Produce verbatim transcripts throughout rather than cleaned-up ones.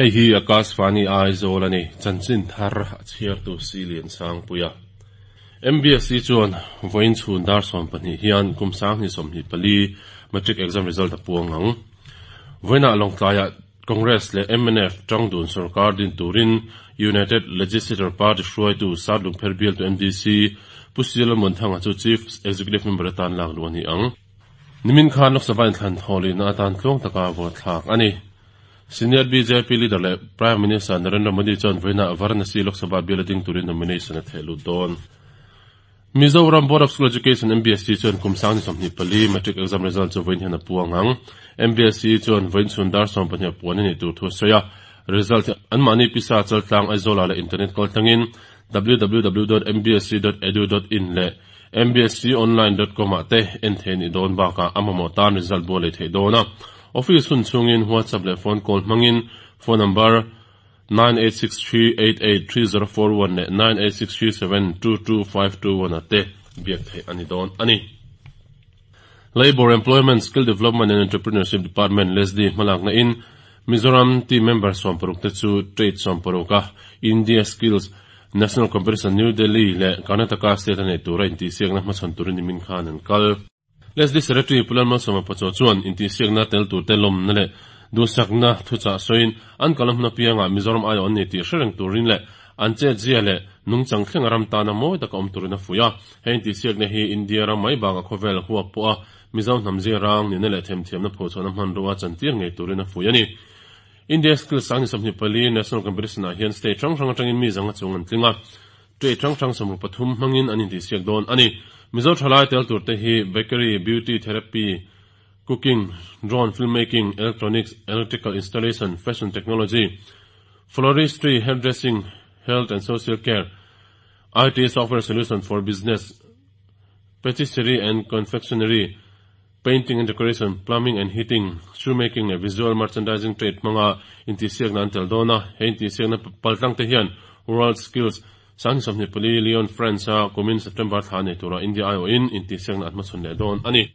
Hei hi Akashvani Aizawl a ni, chanchin thar a chhiartu Silian Sangpuia. M B S C chuan vawiin chhun dar sawm pahnih hian kum sanghnih sawmhnih pali matric exam result a puang ang. Vawiinah Lawngtlaiah Congress leh M N F tangdun sorkar din turin United Legislature Party hruaitu South Lungpher bialtu M D C Pu C Lalmuanthanga chu Chief Executive Member atan lak luh a ni ang. Nimin khan Lok Sabha inthlan thawhlihna atan tluang taka vote thlak a ni. Senior B J P leader leh Prime Minister Narendra Modi chuan vawiinah Varanasi Lok Sabha bial a ding turin nomination a theh lut dawn. Mizoram Board of School Education M B S C chuan kum sanghnih sawmhnih pali matric exam result chu vawiin hian a puang ang. M B S C chuan vawiin chhun dar sawm pahnih a puan a nih tur thu a sawi a. Result anmahni pisa chaltlang Aizawla leh internet kaltlangin w w w dot m b s c dot edu dot in leh m b s c online dot com ah te en thei ni dawn bakah a mamawh tan result bu a lei theih dawn a. Office hun chungin WhatsApp leh phone call hmangin phone number nine eight six three eight eight three zero four one leh nine eight six three seven two two five two one ate biak theih ani dawn ani. Labour Employment, Skill Development and Entrepreneurship Department Leslie hmalak na in Mizoram team member sawmparuk te chu trade sawmparuka India Skills National Competition New Delhi leh Karnataka State a nei tura intihsiakna hmachhawn turin nimin khan an kal. Leslie Secretary Pu Lalmalsawma Pachuau chuan intihsiakna tel tur te lawmna leh duhsakna thuchah sawiin an kalam hmun apianga Mizoram aiawh an ni tih hrereng turin leh an chet zia leh nungchang thleng ram tana mawi taka awm turin a fuih a. Hei intihsiakna hi India ram mai bakah khawvel huap pawh a Mizo hnam zia rang nihna leh themthiamna phochhuahna hmanrua chantir ngei turin a fuih a ni. India Skills sanghnih sawmhnih pali National Competition ah hian state hrang hrang atangin mi zanga chung an tling a. Trade hrang hrang sawmruk pathum hmangin an intihsiak dawn ani. Mizo thalai tel tur te hi bakery, beauty therapy, cooking, drone filmmaking, electronics, electrical installation, fashion technology, floristry, hairdressing, health and social care, I T software solution for business, patisserie and confectionery, painting and decoration, plumbing and heating, shoemaking and visual merchandising trade hmanga intihsiakna an tel dawn a. He intihsiakna paltlang te hian World Skills sanghnih sawmhnih pali Lyon, France a kumin September thla nei tura India aiawhin intihsiakna an hmachhawn leh dawn ani.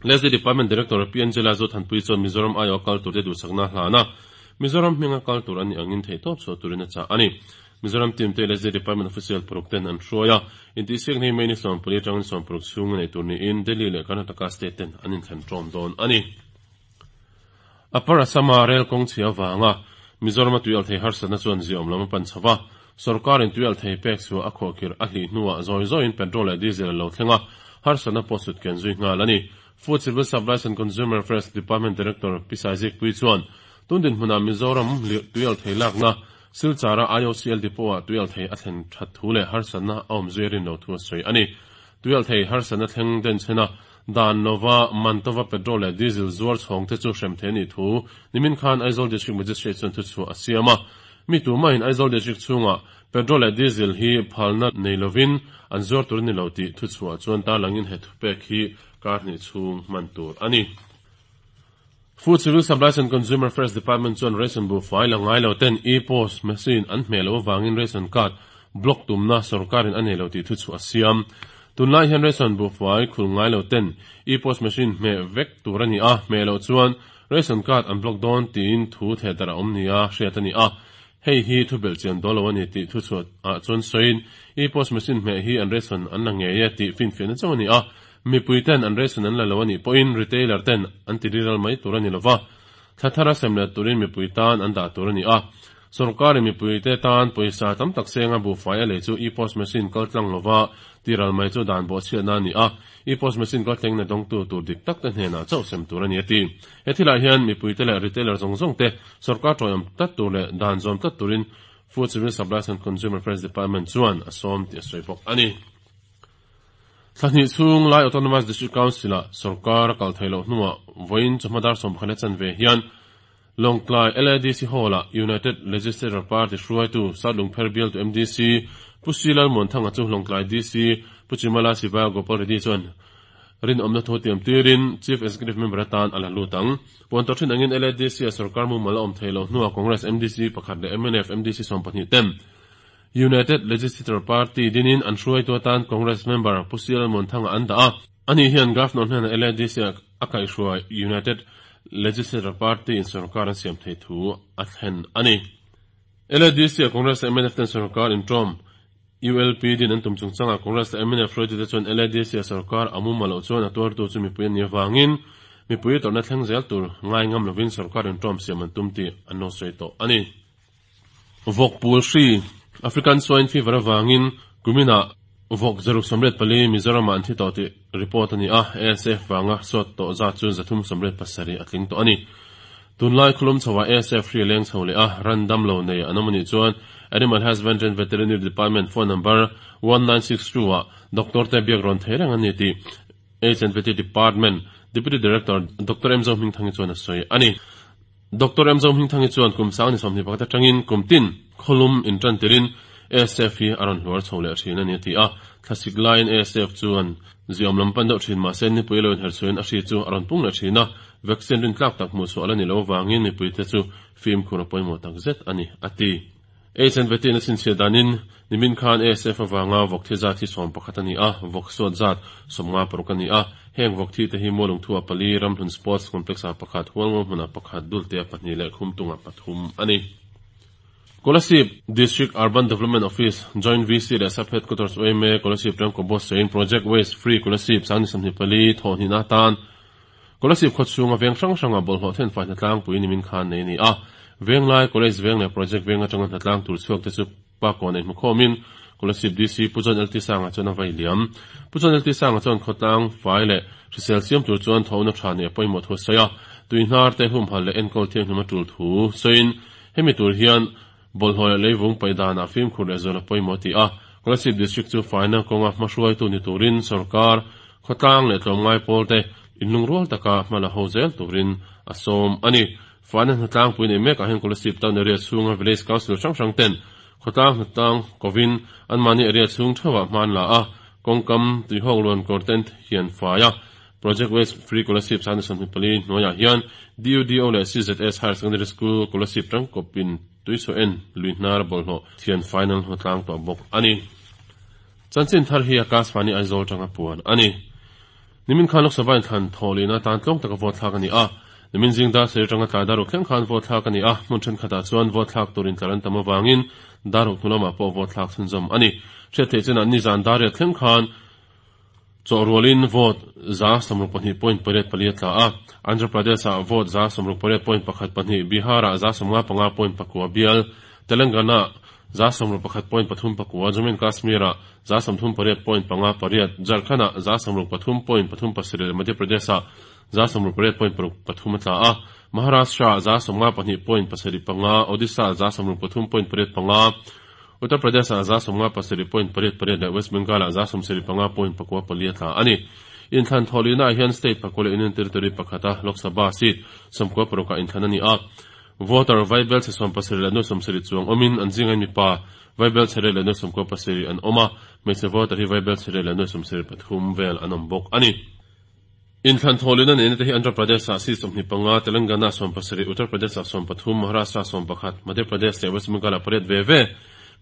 Leslie Department Director P Angela Zothanpui chuan Mizoram aiawh kal tur te duhsakna hlana Mizoram hminga kal tur ani angin thei tawp chhuah turin a chah ani. Mizoram team te Leslie Department official paruk ten an hruai a. Intihsiakna hi May ni sawmpali atangin sawmparuk chhung nei tur niin Delhi leh Karnataka state ten an inthlan tawm dawn ani. Upper Assama rail kawng chhia awanga Mizoram a tuial thei harsatna chuan ziawm lam a pan chhowa. Sarkarin tuial thei pek chu a khawhkhir a hlih hnuah zawi zawiin petrol leh diesel lo thlenga harsatna pawh sut ken zui nghal ani. Food Civil Supplies and Consumer Affairs Department Director Pisai Zikpui chuan tundin hmuna Mizoram tuial thei lakna Silchara I O C L depot ah tuial thei a thlen that thu leh harsatna a awm zui rin lo thu a sawi ani. Tuial thei harsatna thleng den chhena dan lova mantova petrol leh diesel zuar chhawng te chu hrem the ni thu nimin khan Aizawl District Magistrate chuan thu chu a siam a. Mi tumahin Aizawl District chhunga petrol leh diesel hi phalna nei lovin an zuar tur ni lo tih thu chhuah chuan tarlangin he thu pek hi kar hnih chhung hman tur ani. Food Civil Supplies and Consumer Affairs Department chuan ration bu fai la ngai lo ten e-post machine an hmeh lo awangin ration card block tumna sarkarin a nei lo tih thu chu a siam. Tunlai hian ration bu fai khul ngai lo ten e-post machine hmeh vek tur ani a, hmeh lo chuan ration card an block dawn tiin thu theh darh a awm nia hriat ani a. Hei hi thu belh chian dawn lo ani tih thu chu ah chuan sawiin e-post machine hmeh hi an ration an la ngei e tih finfiahna chauh ani a. Mipui ten an ration an la lo ani pawhin retailer ten an ti riral mai tur ani lova, thla thara sem leh turin mipui tan an dah tur ani a. Sarkarin mipui te tan pawisa tam tak senga bu fai a lei chu e-post machine kal tlang lova tiral mai chu dan bawh chhiatna ani a. E-post machine kal thleng na dawng tu tur dik tak te hnenah chauh sem tur ani a ti. He thilah hian mipui te leh retailer zawng zawng te sarkar tawih tlat tur leh dan zawm tlat turin Food Civil Supplies and Consumer Affairs Department chuan a sawm tih a sawi bawk ani. Thlahnih chhung lai Autonomous District Council a sarkar a kal thei loh hnuah vawiin chawhma dar sawm pakhat chan ve hian Lawngtlai L A D C Hall ah United Legislature Party hruaitu South Lungpher bialtu M D C Pu C Lalmuanthanga chu Lawngtlai D C Pu Chimala Siva Gopal Reddy chuan rinawmna thu tiam tirin Chief Executive Member atan a la lut ang. Puan tawh thin angin L A D C a sarkar mumal a awm thei lo hnuah Congress M D C pakhat leh M N F M D C sawm pahnih ten United Legislature Party dinin an hruaitu atan Congress member Pu C Lalmuanthanga an dah a. Ani hian Governor hnenah L A D C a kaihhruai United Legislature Party in sorkar an siam thei thu a thlen a ni. L A D C a Congress M N F ten sorkar inṭawm U L P din an tum chungchangah Congress M N F hruaitute chuan L A D C a sorkar a mumal loh chuan a tuartu chu mipui an nih avangin mipui tawrhna thleng zel tur ngai ngam lovin sorkar inṭawm siam an tum tih an lo sawi tawh a ni. Vawk pul hri, African Swine Fever, avangin kuminah vawk zaruk sawmriat pali Mizoramah an thi tawh tih report a ni a, A S F vanga suat tawh zat chu zathum sawmriat pasarih a tling tawh a ni. Tunlai khawlum chhoah A S F hri leng chho leh a, ran dam lo nei an awm anih chuan Animal Husbandry and Veterinary Department phone number one nine six two ah doctor te biak rawn thei reng an ni tih H and V T Department Deputy Director Doctor M Zohmingthangi chuan a sawi a ni. Doctor M Zohmingthangi chuan kum sang ni sawmhnih pakhat atangin kum tin khawlum intan tirin A S F hi a rawn hluar chho leh thin a ni a ti a, thlasik laiin A S F chuan ziawm lam pan deuh thin mahse nipui lo inherchhuahin a hri chu a rawn pung leh thin a, vaccine rin tlak tak hmuh chhuah la ni lo avangin mipuite chu fimkhur a pawimawh tak zet a ni a ti. H and V T na chhinchhiah danin nimin khan A S F avanga vawk thi zat hi sawm pakhat a ni a, vawk suat zat sawmnga paruk a ni a, heng vawk thi te hi Mualung thua pali, Ramhlun Sports Complex ah pakhat, Hualngo hmunah pakhat, Dulte ah pahnih leh Khumtung ah pathum a ni. Kolasib District Urban Development Office Joint V C leh Sub Headquarters Y M A Kolasib Tangkaw Buatsaih in Project Waste Free Kolasib sangni sawmhnih pali thawhhnih atan Kolasib khawchhunga veng hrang hranga bawlhhlawh thenfai hnatlangpui nimin khan nei a ni a, Venglai, College Veng leh Project Veng atanga hnatlang tur chhuak te chu Pakawn ei hmukhawmin Kolasib D C Pu John L T Sanga chuan a vai liam. Pu John L T Sanga chuan khawtlang fai leh hrisel siam tur chuan thawhna tha nei a pawimawh thu a sawi a, tuihnar te humhal leh enkawl thianghlim a tul thu sawiin hemi tur hian bawlhhlawh leh leivung paih danah fimkhur leh zual a pawimawh ti a, Kolasib District chu faina kawnga hmahruaitu ni turin sorkar, khawtlang leh tlawmngai pawl te inlungrual taka hma la ho zel turin a sawm a ni. Faina hnatlangpui nei mekah hian Kolasib Town area chhunga Village Council hrang hrang ten khawtlang hnatlang kovin anmahni area chhung theuhah hman la a, kawngkam tuihawk luan kawr ten hian fai a. Project Waste Free Kolasib sangni sawmhnih pali hnuaiah hian D U D O leh C Z S Higher Secondary School Kolasib tangkawpin tuichawh en luihnar bawlhhlawh thian final hnatlang tawh bawk a ni. Chanchin thar hi Akashvani Aizawl tanga puan a ni. Nimin khan Lok Sabha inthlan thawhlihna tan tlawng taka vote thlak a ni a. Nimin zing dar sarih atanga tlai dar ruk thleng khan vote thlak a ni a, hmun thenkhatah chuan vote thlak turin tlar an tam avangin dar ruk hnu lamah pawh vote thlak chhunzawm a ni. Hriat theih chinah nizan dar riat thleng khan chawhrualin vote za sawmruk pahnih point pariat pali a tla a. Andhra Pradesh ah vote za sawmruk pariat point pakhat pahnih, Bihar ah za sawmnga panga point pakua bial, Telangana za sawmruk pakhat point pathum pakua, Jammu and Kashmir ah za sawmthum pariat point panga pariat, Jharkhand ah za sawmruk pathum point pathum pasarih leh Madhya Pradesh ah za sawmruk pariat point paruk pathum a tla a. Maharashtra za sawmnga pahnih point pasarih panga, Odisha za sawmruk pathum point pariat panga, Uttar Pradesh ah za sawmnga pasarih point pariat pariat leh West Bengal ah za sawmsarih panga point pakua pali a tla a ni. Inthlan thawhlihna ah hian state pakua leh Union Territory pakhata Lok Sabha seat sawmkua parukah inthlan a ni a. Voter vaibel chhe sawm pasarih leh nuai sawmsarih chuang awmin an zinga mipa vaibel chhe riat leh nuai sawmkua pasarih an awm a, hmeichhe voter hi vaibel chhe riat leh nuai sawmsarih pathum vel an awm bawk a ni. Inthlan thawhlihna neihna te hi Andhra Pradesh ah seat sawmhnih panga, Telangana sawm pasarih, Uttar Pradesh ah sawm pathum, Maharashtra sawm pakhat, Madhya Pradesh leh West Bengal ah pariat ve ve,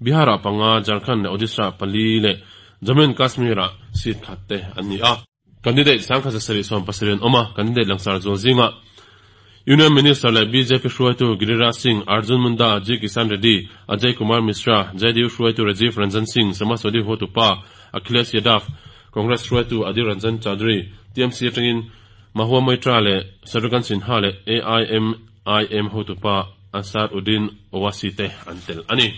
Bihar ah panga, Jharkhand leh Odisha ah pali leh Jammu and Kashmir ah seat khat te an ni a. Candidate sangkhat zasarih sawm pasarih an awm a, candidate langsar zual zingah Union Minister leh B J P hruaitu Giriraj Singh, Arjun Munda, G Kisan Reddy, Ajay Kumar Mishra, J D U hruaitu Rajiv Ranjan Singh, Samajwadi hotupa Akhilesh Yadav, Congress hruaitu Adhir Ranjan Chowdhury, T M C atangin Mahua Moitra leh Shatrughan Sinha leh A I M I M hotupa Asaduddin Owaisi te an tel a ni.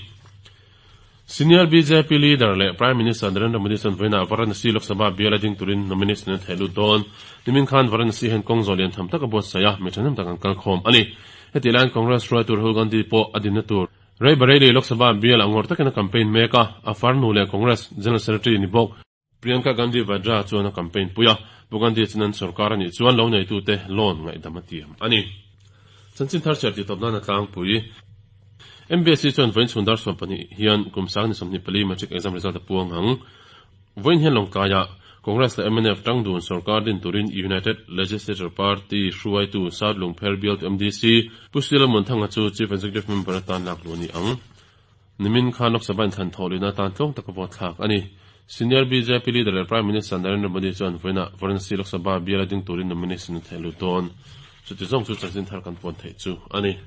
Senior B J P leader leh Prime Minister Narendra Modi chuan vawiinah Varanasi Lok Sabha bial a ding turin nomination a theh lut dawn. Nimin khan Varanasi hian kawng zawh lian tham tak a buatsaih a, mi thahnem tak an kal khawm a ni. Heti laiin Congress hruaitu Rahul Gandhi pawh a dinna tur Rae Bareli Lok Sabha bial a ngawr takin a campaign mek a, a farnu leh Congress General Secretary ni bawk Priyanka Gandhi Vadra chuan a campaign pui a, Pu Gandhi chuan an sorkar a nih chuan lo neitute loan ngaihdam a tiam a ni. Chanchin thar chhiar tih tawp nan a tlangpui. M B S C chuan vawiin chhun dar sawm pahnih hian kum sang ni sawmhnih pali matric exam result a puang ang. Vawiin hian Lawngtlaiah Congress leh M N F tangdun sorkar din turin United Legislature Party hruaitu South Lungpher bialtu M D C Pu C Lalmuanthanga chu Chief Executive Member atan lak luh a ni ang. Nimin khan Lok Sabha inthlan thawhlihna atan tlawng taka vote thlak a ni. Senior B J P leader leh Prime Minister Narendra Modi chuan vawiinah Varanasi Lok Sabha bial a ding turin nomination a theh lut dawn. Chuti zawng chu chanchin thar kan puan theih chu a ni.